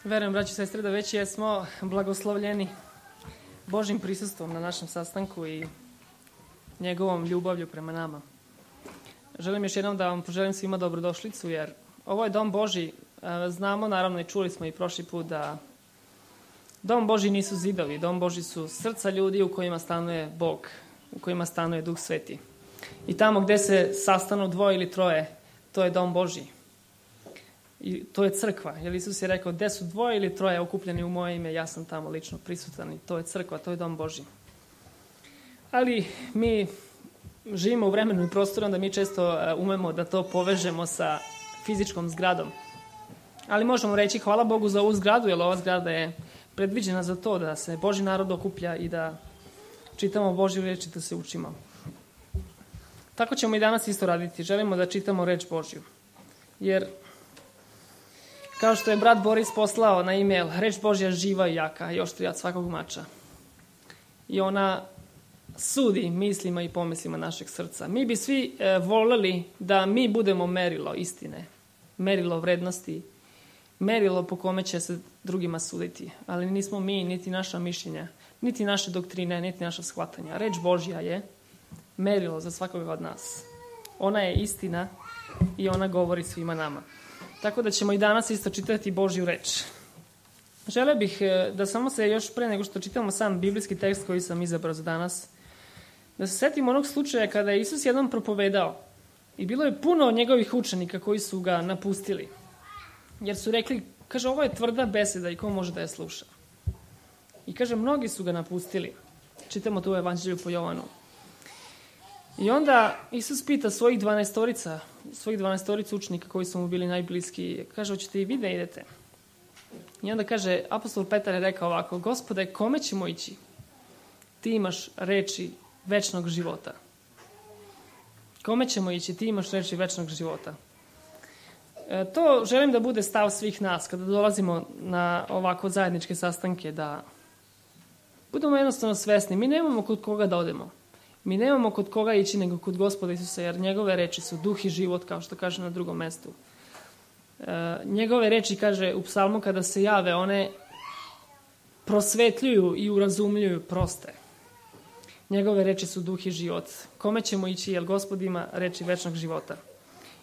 Verujem, braći i sestre, da već jesmo blagoslovljeni Božjim prisustvom na našem sastanku i njegovom ljubavlju prema nama. Želim još jednom da vam poželim svima dobrodošlicu, jer ovo je Dom Božji. Znamo, naravno, i čuli smo i prošli put da Dom Božji nisu zidovi. Dom Božji su srca ljudi u kojima stanuje Bog, u kojima stanuje Duh Sveti. I tamo gde se sastanu dvoje ili troje, to je Dom Božji. I to je crkva, jer Isus je rekao, gde su dvoje ili troje okupljeni u moje ime, ja sam tamo lično prisutan i to je crkva, to je Dom Božji. Ali mi živimo u vremenu i prostoru, onda mi često umemo da to povežemo sa fizičkom zgradom. Ali možemo reći hvala Bogu za ovu zgradu, jer ova zgrada je predviđena za to da se Božji narod okuplja i da čitamo Božju reč i da se učimo. Tako ćemo i danas isto raditi. Želimo da čitamo reč Božju. Jer kao što je brat Boris poslao na e-mail, reč Božja živa i jaka i oštrija od svakog mača. I ona sudi mislima i pomislima našeg srca. Mi bi svi voljeli da mi budemo merilo istine, merilo vrednosti, merilo po kome će se drugima suditi. Ali nismo mi, niti naša mišljenja, niti naše doktrine, niti naša shvatanja. Reč Božja je merilo za svakoga od nas. Ona je istina i ona govori svima nama. Tako da ćemo i danas isto čitati Božju reč. Želeo bih da samo se još pre nego što čitamo sam biblijski tekst koji sam izabrao za danas, da se setimo onog slučaja kada je Isus jednom propovedao i bilo je puno njegovih učenika koji su ga napustili. Jer su rekli, kaže, ovo je tvrda beseda i ko može da je sluša. I kaže, mnogi su ga napustili. Čitamo to u Evanđelju po Jovanu. I onda Isus pita svojih 12 učenika koji su mu bili najbliski, kaže, hoćete i vi da idete? I onda kaže, apostol Petar je rekao ovako, Gospode, kome ćemo ići? Ti imaš reči večnog života. Kome ćemo ići? Ti imaš reči večnog života. To želim da bude stav svih nas kada dolazimo na ovako zajedničke sastanke, da budemo jednostavno svesni. Mi nemamo kod koga da odemo. Mi nemamo kod koga ići nego kod Gospoda Isusa, jer njegove reči su duh i život, kao što kaže na drugom mestu. Njegove reči, kaže u psalmu, kada se jave, one prosvetljuju i urazumljuju proste. Njegove reči su duh i život. Kome ćemo ići, jer Gospod ima reči večnog života.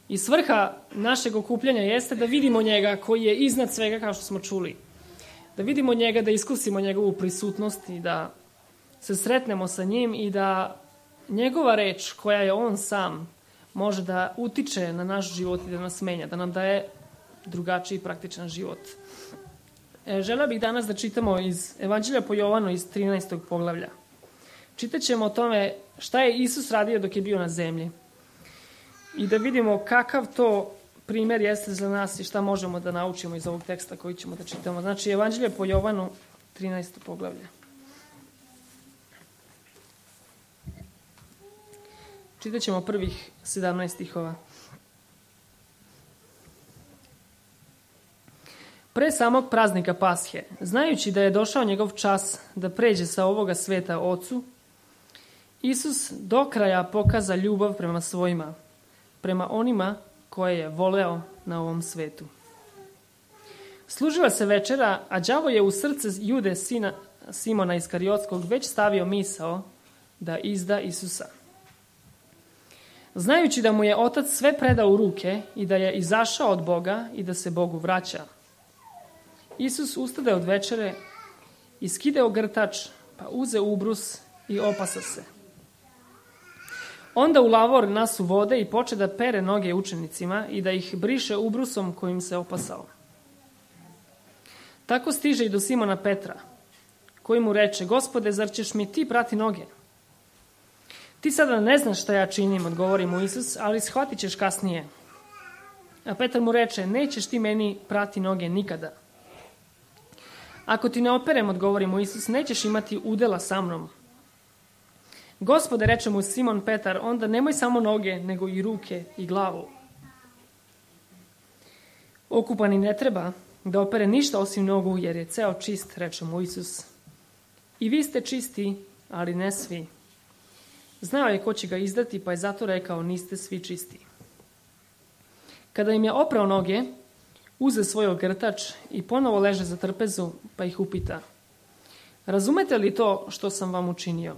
I svrha našeg okupljanja jeste da vidimo njega koji je iznad svega, kao što smo čuli. Da vidimo njega, da iskusimo njegovu prisutnost i da se sretnemo sa njim i da njegova reč, koja je on sam, može da utiče na naš život i da nas menja, da nam daje drugačiji praktičan život. Želeo bih danas da čitamo iz Evanđelja po Jovanu iz 13. poglavlja. Čitat ćemo o tome šta je Isus radio dok je bio na zemlji i da vidimo kakav to primjer jeste za nas i šta možemo da naučimo iz ovog teksta koji ćemo da čitamo. Znači, Evanđelje po Jovanu, 13. poglavlje. Čitat ćemo prvih 17 stihova. Pre samog praznika Pashe, znajući da je došao njegov čas da pređe sa ovoga sveta Ocu, Isus do kraja pokaza ljubav prema svojima, prema onima koje je voleo na ovom svetu. Služila se večera, a đavo je u srce Jude, sina Simona Iskariotskog, već stavio misao da izda Isusa. Znajući da mu je Otac sve predao u ruke i da je izašao od Boga i da se Bogu vraća, Isus ustade od večere i skide ogrtač, pa uze ubrus i opasa se. Onda u lavor nasu vode i poče da pere noge učenicima i da ih briše ubrusom kojim se opasao. Tako stiže i do Simona Petra, koji mu reče, Gospode, zar ćeš mi ti prati noge? Ti sada ne znaš šta ja činim, odgovori mu Isus, ali shvatit ćeš kasnije. A Petar mu reče, nećeš ti meni prati noge nikada. Ako ti ne operem, odgovori mu Isus, nećeš imati udela sa mnom. Gospode, reče mu Simon Petar, onda nemoj samo noge, nego i ruke i glavu. Okupani ne treba da opere ništa osim nogu, jer je ceo čist, reče mu Isus. I vi ste čisti, ali ne svi. Znao je ko će ga izdati, pa je zato rekao, niste svi čisti. Kada im je oprao noge, uze svoj ogrtač i ponovo leže za trpezu, pa ih upita: razumete li to što sam vam učinio?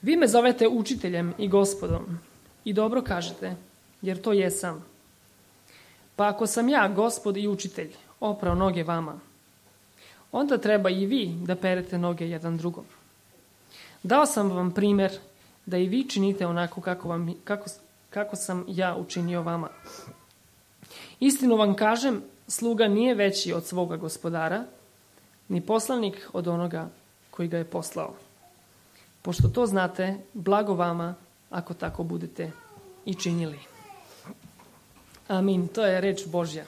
Vi me zovete učiteljem i gospodom i dobro kažete, jer to jesam. Pa ako sam ja, gospod i učitelj, oprao noge vama, onda treba i vi da perete noge jedan drugom. Dao sam vam primjer da i vi činite onako kako sam ja učinio vama. Istinu vam kažem, sluga nije veći od svoga gospodara, ni poslanik od onoga koji ga je poslao. Pošto to znate, blago vama ako tako budete i činili. Amin. To je reč Božja.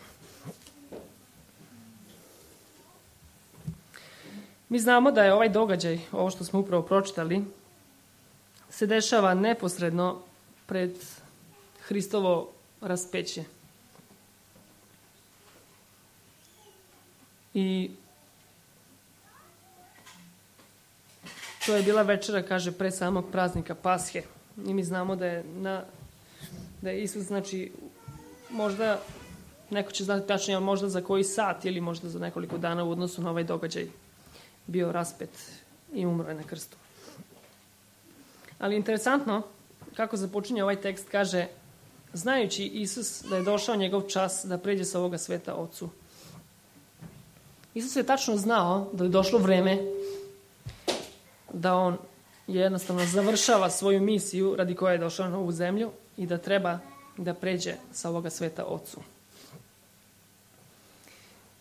Mi znamo da je ovaj događaj, ovo što smo upravo pročitali, se dešava neposredno pred Hristovo raspeće. I to je bila večera, kaže, pre samog praznika Pashe. I mi znamo da je Isus, znači, možda, neko će znati tačnije, možda za koji sat ili možda za nekoliko dana u odnosu na ovaj događaj bio raspet i umro je na krstu. Ali interesantno, kako započinje ovaj tekst, kaže, znajući Isus da je došao njegov čas da pređe sa ovoga sveta Ocu. Isus je tačno znao da je došlo vreme da on jednostavno završava svoju misiju radi koje je došao na ovu zemlju i da treba da pređe sa ovoga sveta Ocu.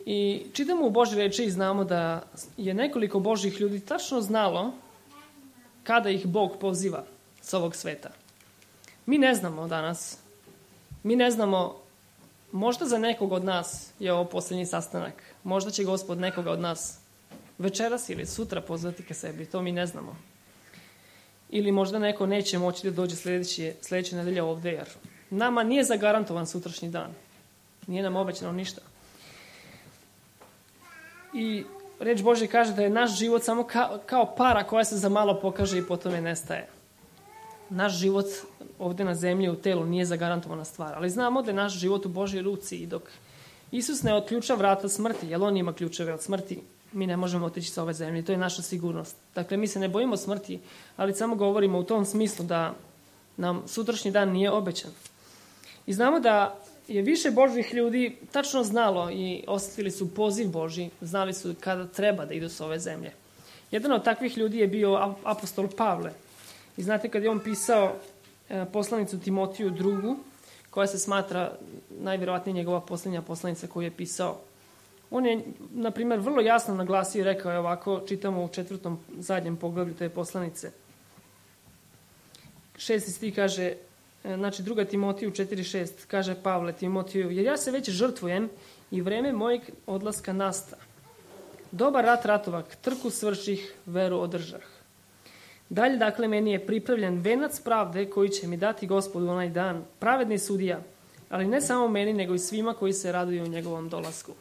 I čitamo u Božje reči i znamo da je nekoliko Božjih ljudi tačno znalo kada ih Bog poziva sa ovog sveta. Mi ne znamo danas. Mi ne znamo, možda za nekog od nas je ovo posljednji sastanak. Možda će Gospod nekoga od nas večeras ili sutra pozvati ka sebi. To mi ne znamo. Ili možda neko neće moći da dođe sljedeće nedelje ovdje, jer nama nije zagarantovan sutrašnji dan. Nije nam obećano ništa. I reč Božja kaže da je naš život samo kao para koja se za malo pokaže i potom je nestaje. Naš život ovdje na zemlji u telu nije zagarantovana stvar, ali znamo da je naš život u Božjoj ruci i dok Isus ne otključa vrata smrti, jer on ima ključeve od smrti, mi ne možemo otići sa ove zemlje. To je naša sigurnost. Dakle, mi se ne bojimo smrti, ali samo govorimo u tom smislu da nam sutrašnji dan nije obećan. I znamo da je više Božjih ljudi tačno znalo i osjetili su poziv Božji, znali su kada treba da idu s ove zemlje. Jedan od takvih ljudi je bio apostol Pavle. I znate, kad je on pisao poslanicu Timotiju II, koja se smatra najvjerovatnije njegova posljednja poslanica koju je pisao, on je, na primjer, vrlo jasno naglasio i rekao je ovako, čitamo u 4. zadnjem poglavlju te poslanice. 6. stih kaže, znači 2. Timotiju 4.6, kaže Pavle Timotiju, jer ja se već žrtvujem i vreme mojeg odlaska nasta. Dobar rat ratovak, trku svrših, veru održah. Dalje, dakle, meni je pripravljen venac pravde koji će mi dati Gospodu onaj dan, pravedni sudija, ali ne samo meni, nego i svima koji se raduju u njegovom dolasku.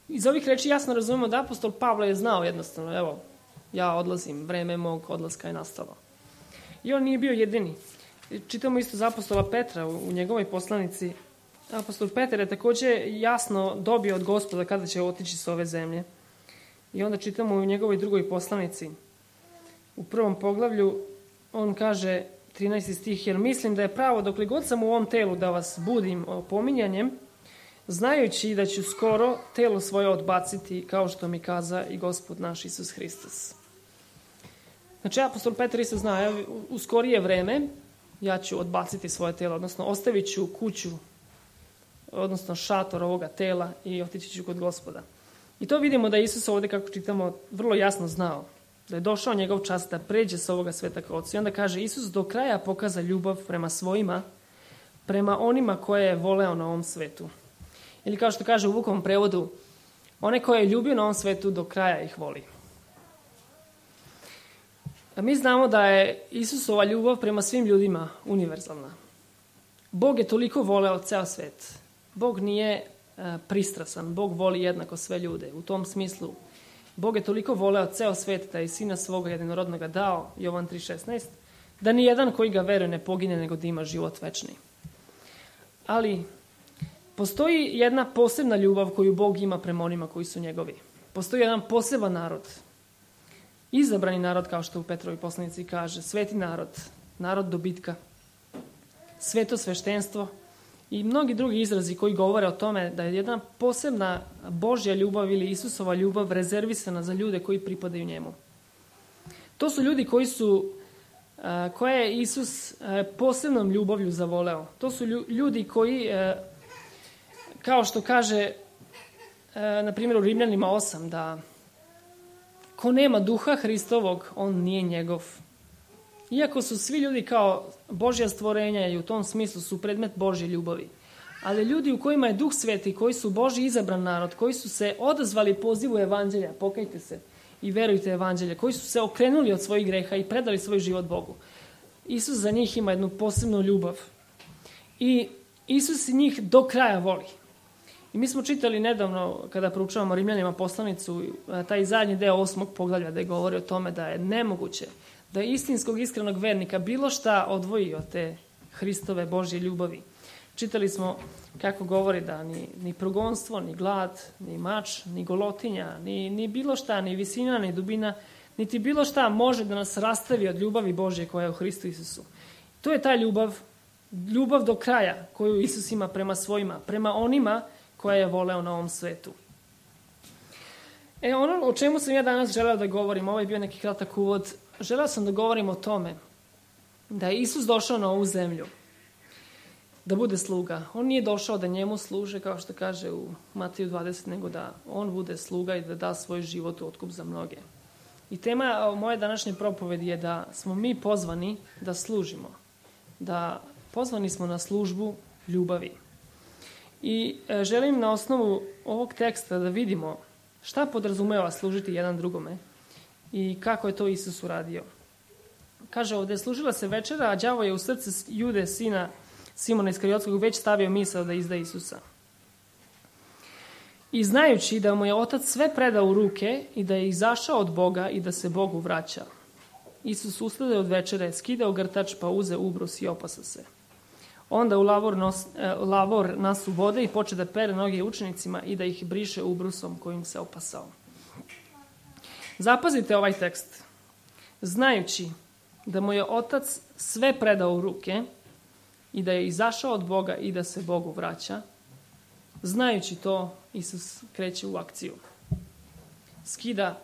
Iz ovih reči jasno razumemo da apostol Pavle je znao jednostavno, evo, ja odlazim, vreme mog odlaska je nastalo. I on nije bio jedini. Čitamo isto za apostola Petra u njegovoj poslanici. Apostol Petar je također jasno dobio od Gospoda kada će otići s ove zemlje. I onda čitamo u njegovoj drugoj poslanici. U 1. poglavlju on kaže, 13. stih, jer mislim da je pravo dokle god sam u ovom telu da vas budim opominjanjem, znajući da ću skoro telo svoje odbaciti kao što mi kaza i Gospod naš Isus Hristos. Znači, apostol Petar isto zna, u skorije vreme ja ću odbaciti svoje telo, odnosno ostavit ću kuću, odnosno šator ovoga tela i otići ću kod Gospoda. I to vidimo da Isus ovdje, kako čitamo, vrlo jasno znao da je došao njegov čas da pređe s ovoga sveta ka Ocu. I onda kaže, Isus do kraja pokaza ljubav prema svojima, prema onima koje je voleo na ovom svetu. Ili kao što kaže u Vukovom prevodu, one koje je ljubio na ovom svetu do kraja ih voli. A mi znamo da je Isusova ljubav prema svim ljudima univerzalna. Bog je toliko voleo ceo svet. Bog nije pristrasan. Bog voli jednako sve ljude. U tom smislu, Bog je toliko voleo ceo svet da je sina svoga jedinorodnoga dao, Jovan 3.16, da ni jedan koji ga veruje ne pogine, nego da ima život večni. Ali Postoji jedna posebna ljubav koju Bog ima prema onima koji su njegovi. Postoji jedan poseban narod. Izabrani narod, kao što u Petrovoj poslanici kaže, sveti narod, narod dobitka, sveto sveštenstvo i mnogi drugi izrazi koji govore o tome da je jedna posebna Božja ljubav ili Isusova ljubav rezervisana za ljude koji pripadaju njemu. To su ljudi koje je Isus posebnom ljubavlju zavoleo. To su ljudi koji, kao što kaže, na primjer u Rimljanima 8, da ko nema duha Hristovog, on nije njegov. Iako su svi ljudi kao Božja stvorenja i u tom smislu su predmet Božje ljubavi. Ali ljudi u kojima je Duh Sveti, koji su Božji izabran narod, koji su se odazvali pozivu evanđelja, pokajte se i verujte evanđelje, koji su se okrenuli od svojih greha i predali svoj život Bogu. Isus za njih ima jednu posebnu ljubav. I Isus njih do kraja voli. I mi smo čitali nedavno, kada proučavamo Rimljanima poslanicu, taj zadnji deo 8. poglavlja gde govori o tome da je nemoguće da istinskog iskrenog vernika bilo šta odvoji od te Hristove Božje ljubavi. Čitali smo kako govori da ni progonstvo, ni glad, ni mač, ni golotinja, ni bilo šta, ni visina, ni dubina, niti bilo šta može da nas rastavi od ljubavi Božje koja je u Hristu Isusu. To je ta ljubav do kraja koju Isus ima prema svojima, prema onima koja je voleo na ovom svetu. Ono o čemu sam ja danas želeo da govorim, ovo je bio neki kratak uvod, želeo sam da govorim o tome da je Isus došao na ovu zemlju da bude sluga. On nije došao da njemu služe, kao što kaže u Mateju 20, nego da on bude sluga i da da svoj život u otkup za mnoge. I tema moje današnje propovedi je da smo mi pozvani da služimo. Da pozvani smo na službu ljubavi. I želim na osnovu ovog teksta da vidimo šta podrazumeva služiti jedan drugome i kako je to Isus uradio. Kaže ovdje, služila se večera, a đavo je u srce Jude, sina Simona Iskariotskog, već stavio misao da izda Isusa. I znajući da mu je Otac sve predao u ruke i da je izašao od Boga i da se Bogu vraća, Isus ustade od večere, skidao grtač, pa uze ubrus i opasa se. Onda u lavor nasu vode i poče da pere noge učenicima i da ih briše ubrusom kojim se opasao. Zapazite ovaj tekst. Znajući da mu je Otac sve predao u ruke i da je izašao od Boga i da se Bogu vraća, znajući to, Isus kreće u akciju. Skida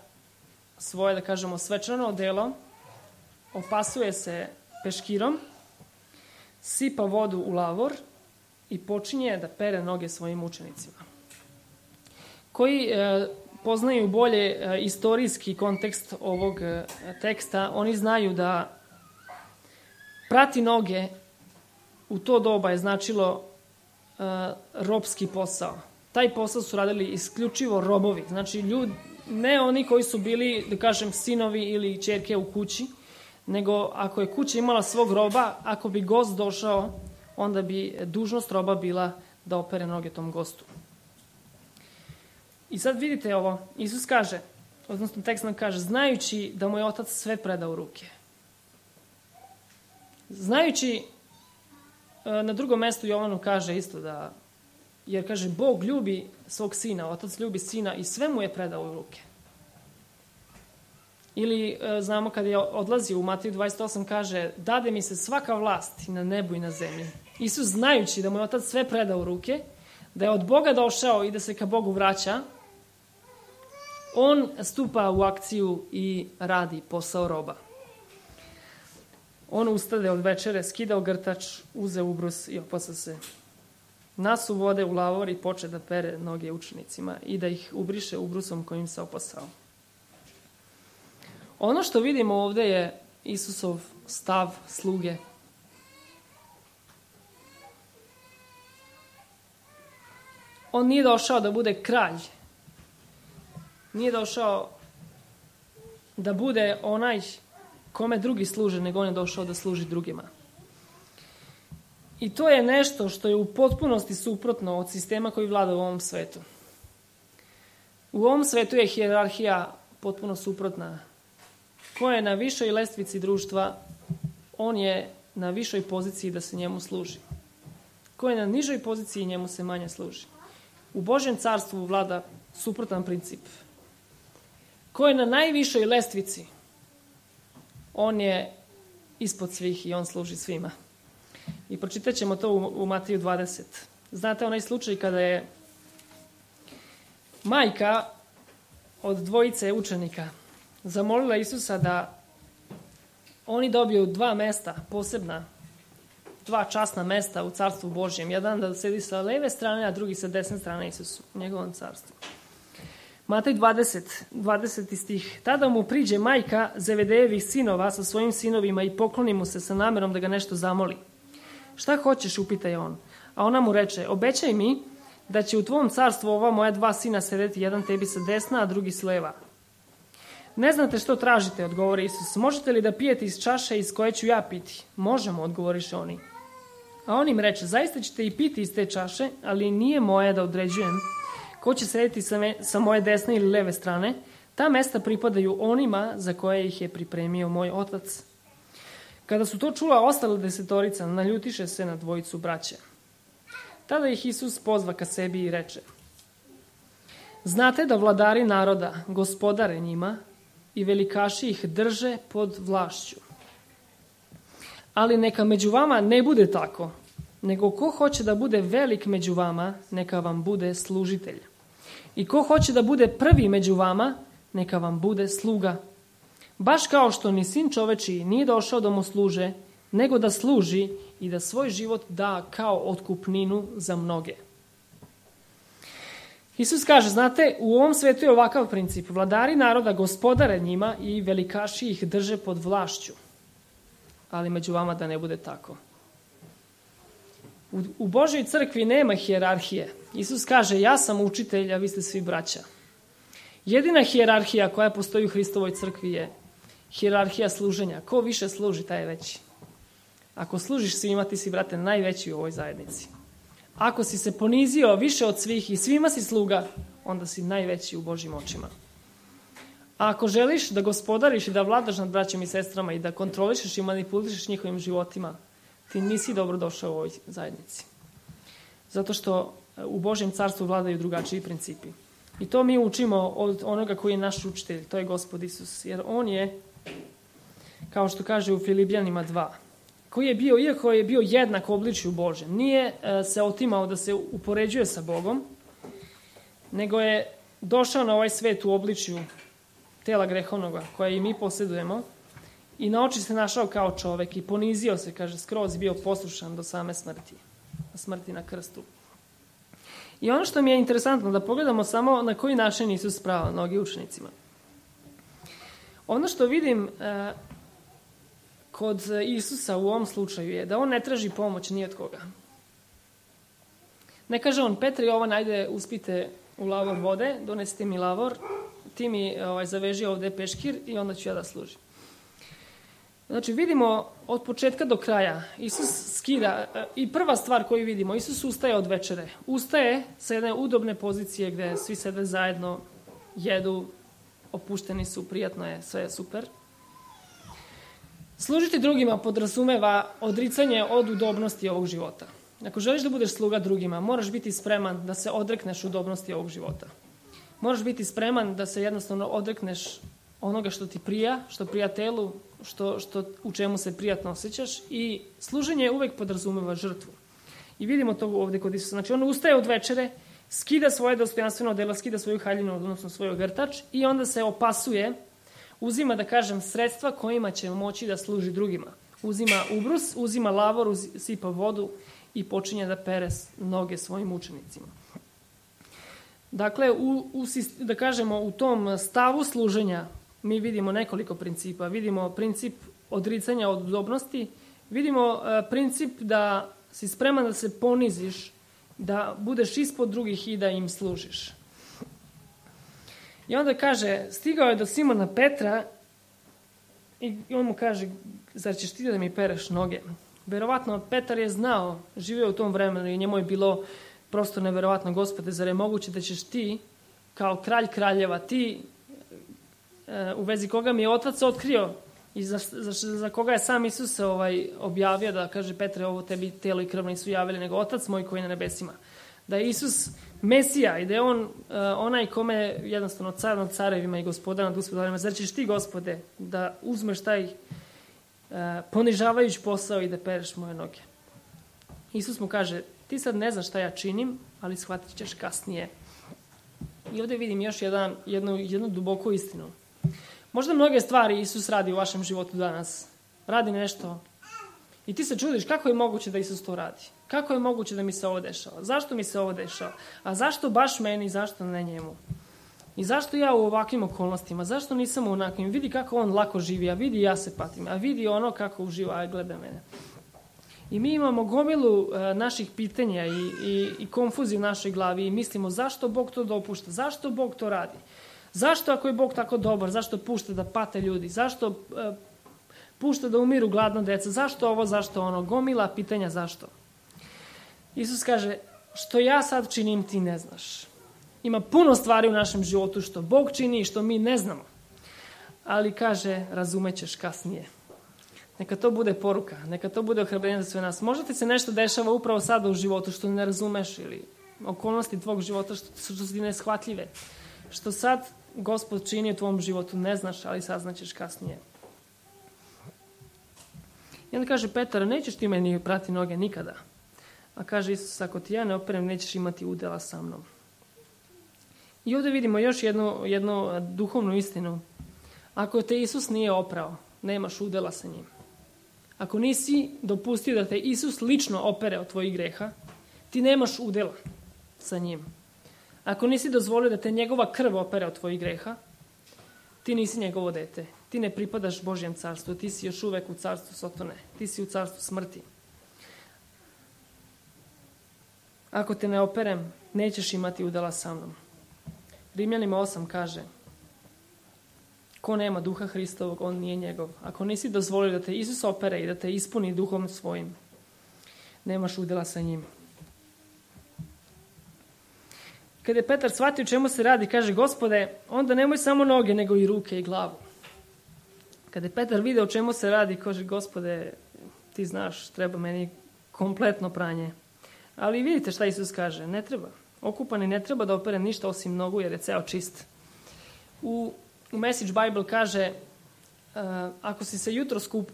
svoje, da kažemo, svečano odelo, opasuje se peškirom, sipa vodu u lavor i počinje da pere noge svojim učenicima. Koji poznaju bolje istorijski kontekst ovog teksta, oni znaju da prati noge u to doba je značilo robski posao. Taj posao su radili isključivo robovi. Znači, ne oni koji su bili, da kažem, sinovi ili ćerke u kući, nego ako je kuća imala svog roba, ako bi gost došao, onda bi dužnost roba bila da opere noge tom gostu. I sad vidite ovo, Isus kaže, odnosno tekst nam kaže, znajući da mu je Otac sve predao u ruke. Znajući, na drugom mestu Jovanu kaže isto da, jer kaže, Bog ljubi svog sina, Otac ljubi sina i sve mu je predao u ruke. Ili znamo kada je odlazio u Mateju 28 kaže, dade mi se svaka vlast i na nebu i na zemlji. Isus znajući da mu je Otac sve predao u ruke, da je od Boga došao i da se ka Bogu vraća, on stupa u akciju i radi posao roba. On ustade od večere, skidao grtač, uze ubrus i opasa se. Nasu vode u lavor i poče da pere noge učenicima i da ih ubriše ubrusom kojim se opasao. Ono što vidimo ovdje je Isusov stav sluge. On nije došao da bude kralj. Nije došao da bude onaj kome drugi služe, nego on je došao da služi drugima. I to je nešto što je u potpunosti suprotno od sistema koji vlada u ovom svetu. U ovom svetu je hijerarhija potpuno suprotna. Ko je na višoj lestvici društva, on je na višoj poziciji da se njemu služi. Ko je na nižoj poziciji, njemu se manje služi. U Božjem carstvu vlada suprotan princip. Ko je na najvišoj lestvici, on je ispod svih i on služi svima. I pročitat ćemo to u Mateju 20. Znate onaj slučaj kada je majka od dvojice učenika zamolila Isusa da oni dobiju 2 mesta, posebna, 2 časna mesta u carstvu Božjem. Jedan da sedi sa leve strane, a drugi sa desne strane Isusu, u njegovom carstvu. Matej 20. stih. Tada mu priđe majka Zevedejevih sinova sa svojim sinovima i pokloni mu se sa namerom da ga nešto zamoli. Šta hoćeš, upita je on. A ona mu reče, obećaj mi da će u tvom carstvu ova moja 2 sina sedeti, jedan tebi sa desna, a drugi s leva. Ne znate što tražite, odgovori Isus. Možete li da pijete iz čaše iz koje ću ja piti? Možemo, odgovoriše oni. A on im reče, zaista ćete i piti iz te čaše, ali nije moje da određujem ko će sedeti sa moje desne ili leve strane. Ta mesta pripadaju onima za koje ih je pripremio moj otac. Kada su to čula ostala 10, naljutiše se na dvojicu braće. Tada ih Isus pozva ka sebi i reče, znate da vladari naroda gospodare njima i velikaši ih drže pod vlašću. Ali neka među vama ne bude tako, nego ko hoće da bude velik među vama, neka vam bude služitelj. I ko hoće da bude prvi među vama, neka vam bude sluga. Baš kao što ni sin čovečiji nije došao da mu služe, nego da služi i da svoj život da kao otkupninu za mnoge. Isus kaže, znate, u ovom svetu je ovakav princip. Vladari naroda gospodare njima i velikaši ih drže pod vlašću. Ali među vama da ne bude tako. U Božoj crkvi nema hijerarhije. Isus kaže, ja sam učitelj, a vi ste svi braća. Jedina hijerarhija koja postoji u Hristovoj crkvi je hijerarhija služenja. Ko više služi, taj je veći. Ako služiš svima, ti si, brate, najveći u ovoj zajednici. Ako si se ponizio više od svih i svima si sluga, onda si najveći u Božjim očima. A ako želiš da gospodariš i da vladaš nad braćom i sestrama i da kontrolišeš i manipulišeš njihovim životima, ti nisi dobro došao u ovoj zajednici. Zato što u Božjem carstvu vladaju drugačiji principi. I to mi učimo od onoga koji je naš učitelj, to je Gospod Isus. Jer on je, kao što kaže u Filipljanima 2, koji je bio, iako je bio jednak obličju Božjem, nije se otimao da se upoređuje sa Bogom, nego je došao na ovaj svet u obličju tela grehovnoga koje i mi posjedujemo i na oči se našao kao čovek i ponizio se, kaže, skroz bio poslušan do same smrti, smrti na krstu. I ono što mi je interesantno da pogledamo samo na koji način Isus sprava noge učenicima. Ono što vidim kod Isusa u ovom slučaju je da on ne traži pomoć ni od koga. Ne kaže on, Petre i Jovan, ajde uspite u lavor vode, donesite mi lavor, ti mi zaveži ovde peškir i onda ću ja da služim. Znači vidimo od početka do kraja, Isus skida, i prva stvar koju vidimo, Isus ustaje od večere. Ustaje sa jedne udobne pozicije gde svi sede zajedno, jedu, opušteni su, prijatno je, sve je super. Služiti drugima podrazumeva odricanje od udobnosti ovog života. Ako želiš da budeš sluga drugima, moraš biti spreman da se odrekneš udobnosti ovog života. Moraš biti spreman da se jednostavno odrekneš onoga što ti prija, što prija telu, u čemu se prijatno osjećaš, i služenje uvek podrazumeva žrtvu. I vidimo to ovde kod Isusa. Znači on ustaje od večere, skida svoje dostojanstveno odelo, skida svoju haljinu, odnosno svoj ogrtač, i onda se opasuje, uzima, da kažem, sredstva kojima će moći da služi drugima. Uzima ubrus, uzima lavor, sipa vodu i počinje da pere noge svojim učenicima. Dakle, da kažemo, u tom stavu služenja mi vidimo nekoliko principa. Vidimo princip odricanja od udobnosti, vidimo princip da si spreman da se poniziš, da budeš ispod drugih i da im služiš. I onda kaže, stigao je do Simona Petra i on mu kaže, zar ćeš ti da mi pereš noge? Verovatno Petar je znao, živio u tom vremenu i njemu je bilo prosto neverovatno, Gospode, zar je moguće da ćeš ti, kao kralj kraljeva, ti u vezi koga mi je otac otkrio i za koga je sam Isus se objavio da kaže Petre, ovo tebi telo i krv nisu javili, nego Otac moj koji je na nebesima. Da je Isus Mesija i da je on onaj kome jednostavno car nad carevima i gospodar nad gospodarima. Zar ćeš ti, Gospode, da uzmeš taj ponižavajući posao i da pereš moje noge? Isus mu kaže, ti sad ne znaš šta ja činim, ali shvatit ćeš kasnije. I ovdje vidim još jednu duboku istinu. Možda mnoge stvari Isus radi u vašem životu danas. Radi nešto. I ti se čudiš kako je moguće da Isus to radi. Kako je moguće da mi se ovo dešava? Zašto mi se ovo dešava? A zašto baš meni, zašto ne njemu? I zašto ja u ovakvim okolnostima? Zašto nisam u onakvim? Vidi kako on lako živi, a vidi ja se patim. A vidi ono kako uživa, a gleda mene. I mi imamo gomilu naših pitanja i konfuziju u našoj glavi i mislimo zašto Bog to dopušta, zašto Bog to radi, zašto ako je Bog tako dobar, zašto pušta da pate ljudi, zašto pušta da umiru gladna deca, zašto ovo, zašto ono, gomila pitanja zašto. Isus kaže, što ja sad činim ti ne znaš. Ima puno stvari u našem životu što Bog čini i što mi ne znamo. Ali kaže, razumećeš kasnije. Neka to bude poruka, neka to bude ohrabrenje za sve nas. Možda ti se nešto dešava upravo sada u životu što ne razumeš ili okolnosti tvog života što su ti neshvatljive. Što sad Gospod čini u tvom životu ne znaš, ali saznaćeš kasnije. I onda kaže Petar, nećeš ti meni prati noge nikada. A kaže Isus, ako ti ja ne operem, nećeš imati udjela sa mnom. I ovdje vidimo još jednu duhovnu istinu. Ako te Isus nije oprao, nemaš udjela sa njim. Ako nisi dopustio da te Isus lično opere od tvojih greha, ti nemaš udjela sa njim. Ako nisi dozvolio da te njegova krv opere od tvojih greha, ti nisi njegovo dete. Ti ne pripadaš Božjem carstvu, ti si još uvek u carstvu Sotone. Ti si u carstvu smrti. Ako te ne operem, nećeš imati udjela sa mnom. Rimljanima 8 kaže, ko nema duha Hristovog, on nije njegov. Ako nisi dozvolio da te Isus opere i da te ispuni duhom svojim, nemaš udjela sa njim. Kada je Petar shvatio čemu se radi, kaže, Gospode, onda nemoj samo noge, nego i ruke i glavu. Kada je Petar video čemu se radi, kaže, Gospode, ti znaš, treba meni kompletno pranje. Ali vidite šta Isus kaže, ne treba. Okupani ne treba da opere ništa osim nogu, jer je ceo čist. U Message Bible kaže, ako si se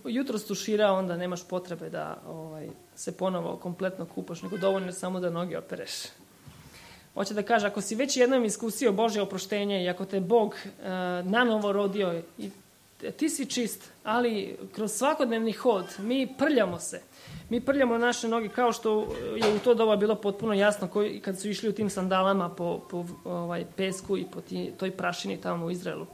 jutros tuširao, onda nemaš potrebe da se ponovo kompletno kupaš, nego dovoljno samo da noge opereš. Hoće da kaže, ako si već jednom iskusio Božje oproštenje i ako te Bog nanovo rodio, ti si čist, ali kroz svakodnevni hod mi prljamo se. Mi prljamo naše noge kao što je u to doba bilo potpuno jasno kad su išli u tim sandalama po pesku i po toj prašini tamo u Izraelu.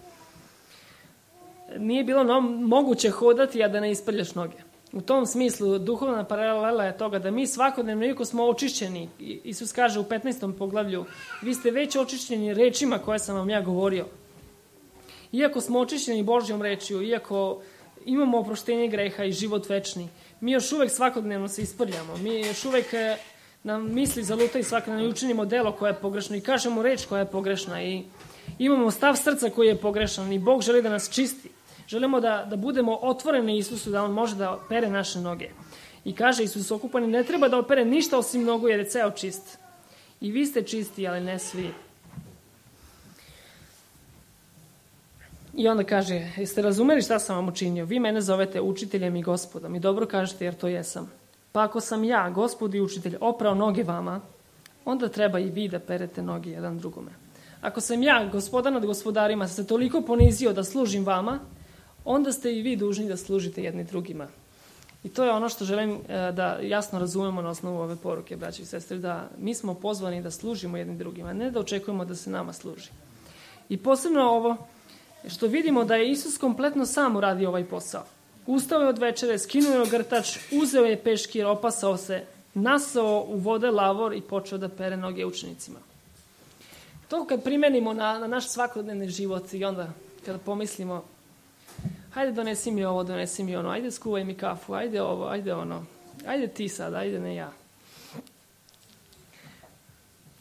Nije bilo moguće hodati, a da ne isprljaš noge. U tom smislu duhovna paralela je toga da mi svakodnevno, iako smo očišćeni, Isus kaže u 15. poglavlju, vi ste već očišćeni rečima koje sam vam ja govorio. Iako smo očišćeni Božjom rečju, iako imamo oproštenje greha i život večni, mi još uvek svakodnevno se isprljamo. Mi još uvek nam misli zalutaju svakodnevno i učinimo delo koje je pogrešno i kažemo reč koja je pogrešna i imamo stav srca koji je pogrešan i Bog želi da nas čisti. Želimo da budemo otvoreni Isusu, da on može da opere naše noge. I kaže Isus, okupani ne treba da opere ništa osim nogu jer je ceo čist. I vi ste čisti, ali ne svi. I onda kaže, jeste razumeli šta sam vam učinio? Vi mene zovete učiteljem i gospodom i dobro kažete jer to jesam. Pa ako sam ja, gospod i učitelj, oprao noge vama, onda treba i vi da perete noge jedan drugome. Ako sam ja, gospodar nad gospodarima, se toliko ponizio da služim vama, onda ste i vi dužni da služite jedni drugima. I to je ono što želim da jasno razumemo na osnovu ove poruke, braći i sestre, da mi smo pozvani da služimo jedni drugima, ne da očekujemo da se nama služi. I posebno ovo, što vidimo da je Isus kompletno sam uradio ovaj posao. Ustao je od večere, skinuo je ogrtač, uzeo je peškir, opasao se, nasao u vode lavor i počeo da pere noge učenicima. To kad primenimo na naš svakodnevni život i onda kada pomislimo, hajde donesi mi ovo, donesi mi ono, ajde skuvaj mi kafu, ajde ovo, ajde ono, ajde ti sad, ajde ne ja.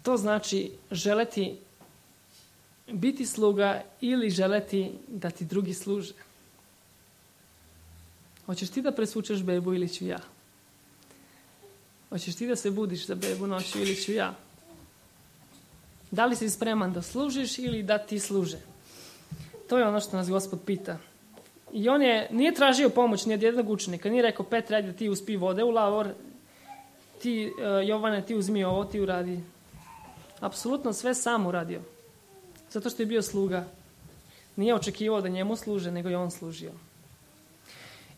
To znači želeti biti sluga ili želeti da ti drugi služe. Hoćeš ti da presvučeš bebu ili ću ja? Hoćeš ti da se budiš za bebu noću ili ću ja? Da li si spreman da služiš ili da ti služe? To je ono što nas Gospod pita. I on nije tražio pomoć ni od jednog učenika. Nije rekao, Petre, ajde ti uspi vode u lavor, ti, Jovane, ti uzmi ovo, ti uradi. Apsolutno sve sam uradio. Zato što je bio sluga. Nije očekivao da njemu služe, nego je on služio.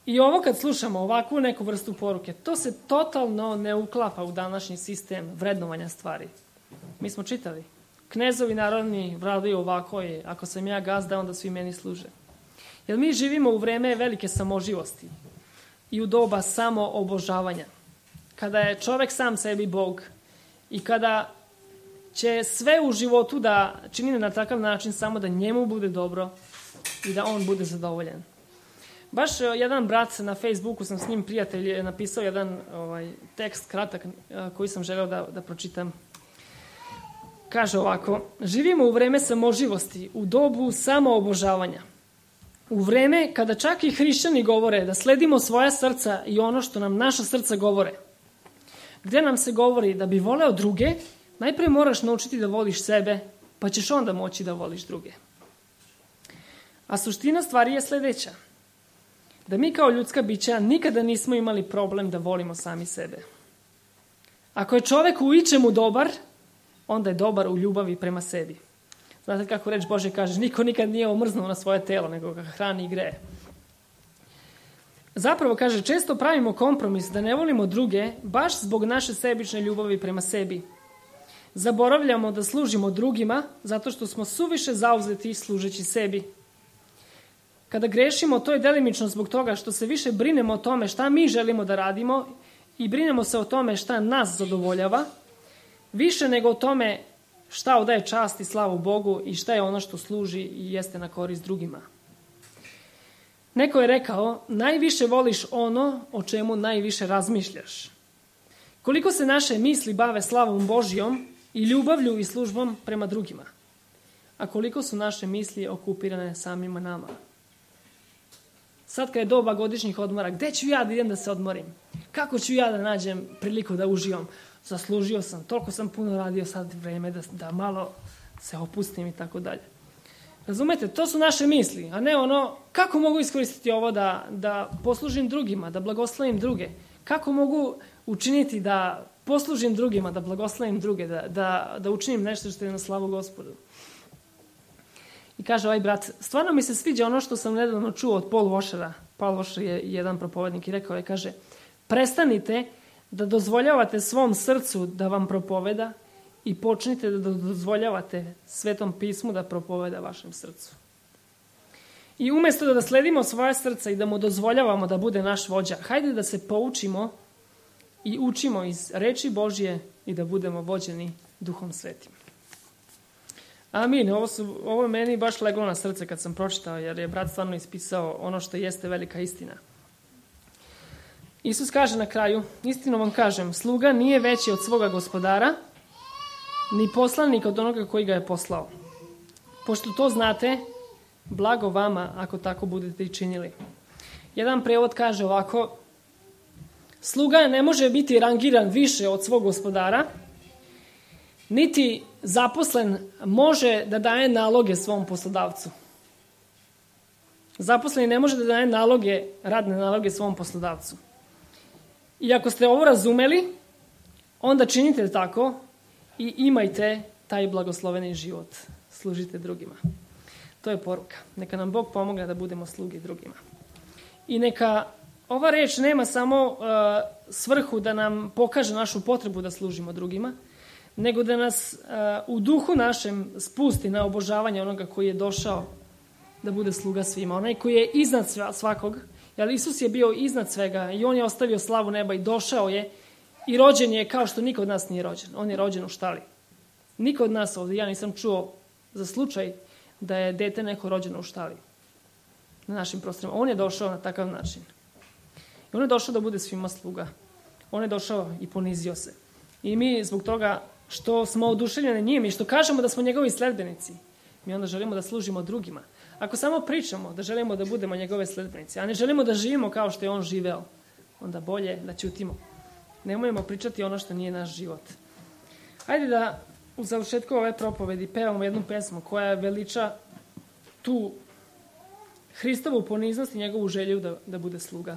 I ovo kad slušamo ovakvu neku vrstu poruke, to se totalno ne uklapa u današnji sistem vrednovanja stvari. Mi smo čitali. Knezovi narodni vladaju ovako je, ako sam ja gazda, onda svi meni služe. Jer mi živimo u vreme velike samoživosti i u doba samoobožavanja. Kada je čovek sam sebi Bog i kada će sve u životu da čini na takav način samo da njemu bude dobro i da on bude zadovoljen. Baš jedan brat na Facebooku, sam s njim prijatelj, je napisao jedan tekst kratak koji sam želeo da pročitam. Kaže ovako, živimo u vreme samoživosti, u dobu samoobožavanja. U vreme kada čak i hrišćani govore da sledimo svoja srca i ono što nam naša srca govore. Gde nam se govori da bi voleo druge, najprije moraš naučiti da voliš sebe, pa ćeš onda moći da voliš druge. A suština stvari je sledeća. Da mi kao ljudska bića nikada nismo imali problem da volimo sami sebe. Ako je čovek u ičemu dobar, onda je dobar u ljubavi prema sebi. Znate kako reč Božja kaže, niko nikad nije omrznuo na svoje telo, nego ga hrani i greje. Zapravo, kaže, često pravimo kompromis da ne volimo druge, baš zbog naše sebične ljubavi prema sebi. Zaboravljamo da služimo drugima, zato što smo suviše zauzeti služeći sebi. Kada grešimo, to je delimično zbog toga što se više brinemo o tome šta mi želimo da radimo i brinemo se o tome šta nas zadovoljava, više nego o tome šta odaje čast i slavu Bogu i šta je ono što služi i jeste na korist drugima. Neko je rekao, najviše voliš ono o čemu najviše razmišljaš. Koliko se naše misli bave slavom Božjom i ljubavlju i službom prema drugima, a koliko su naše misli okupirane samima nama. Sad kad je doba godišnjih odmora, gde ću ja da idem da se odmorim? Kako ću ja da nađem priliku da uživam? Zaslužio sam, toliko sam puno radio, sad vreme da malo se opustim i tako dalje. Razumete, to su naše misli, a ne ono kako mogu iskoristiti ovo da poslužim drugima, da blagoslovim druge. Kako mogu učiniti da poslužim drugima, da blagoslovim druge, da učinim nešto što je na slavu Gospodu. I kaže ovaj brat, stvarno mi se sviđa ono što sam nedavno čuo od Paul Washera. Paul Washer je jedan propovednik i rekao je, kaže, prestanite da dozvoljavate svom srcu da vam propoveda i počnite da dozvoljavate Svetom pismu da propoveda vašem srcu. I umjesto da sledimo svoje srca i da mu dozvoljavamo da bude naš vođa, hajde da se poučimo i učimo iz reči Božje i da budemo vođeni Duhom Svetim. Amin. Ovo je meni baš leglo na srce kad sam pročitao, jer je brat stvarno ispisao ono što jeste velika istina. Isus kaže na kraju, istino vam kažem, sluga nije veći od svoga gospodara, ni poslanik od onoga koji ga je poslao. Pošto to znate, blago vama ako tako budete i činili. Jedan prevod kaže ovako, sluga ne može biti rangiran više od svog gospodara, niti zaposlen može da daje naloge svom poslodavcu. Zaposleni ne može da daje radne naloge svom poslodavcu. I ako ste ovo razumeli, onda činite tako i imajte taj blagosloveni život. Služite drugima. To je poruka. Neka nam Bog pomogne da budemo sluge drugima. I neka ova reč nema samo svrhu da nam pokaže našu potrebu da služimo drugima, nego da nas u duhu našem spusti na obožavanje onoga koji je došao da bude sluga svima. Onaj koji je iznad svakog, jer Isus je bio iznad svega i on je ostavio slavu neba i došao je i rođen je kao što niko od nas nije rođen. On je rođen u štali. Niko od nas ovdje, ja nisam čuo za slučaj da je dete neko rođeno u štali na našim prostorima. On je došao na takav način. I on je došao da bude svima sluga. On je došao i ponizio se. I mi zbog toga što smo oduševljeni njim i što kažemo da smo njegovi sledbenici, mi onda želimo da služimo drugima. Ako samo pričamo da želimo da budemo njegove sledbenici, a ne želimo da živimo kao što je on živeo, onda bolje da ćutimo. Nemojmo pričati ono što nije naš život. Hajde da u završetku ove propovedi pevamo jednu pesmu koja veliča tu Hristovu poniznost i njegovu želju da bude sluga.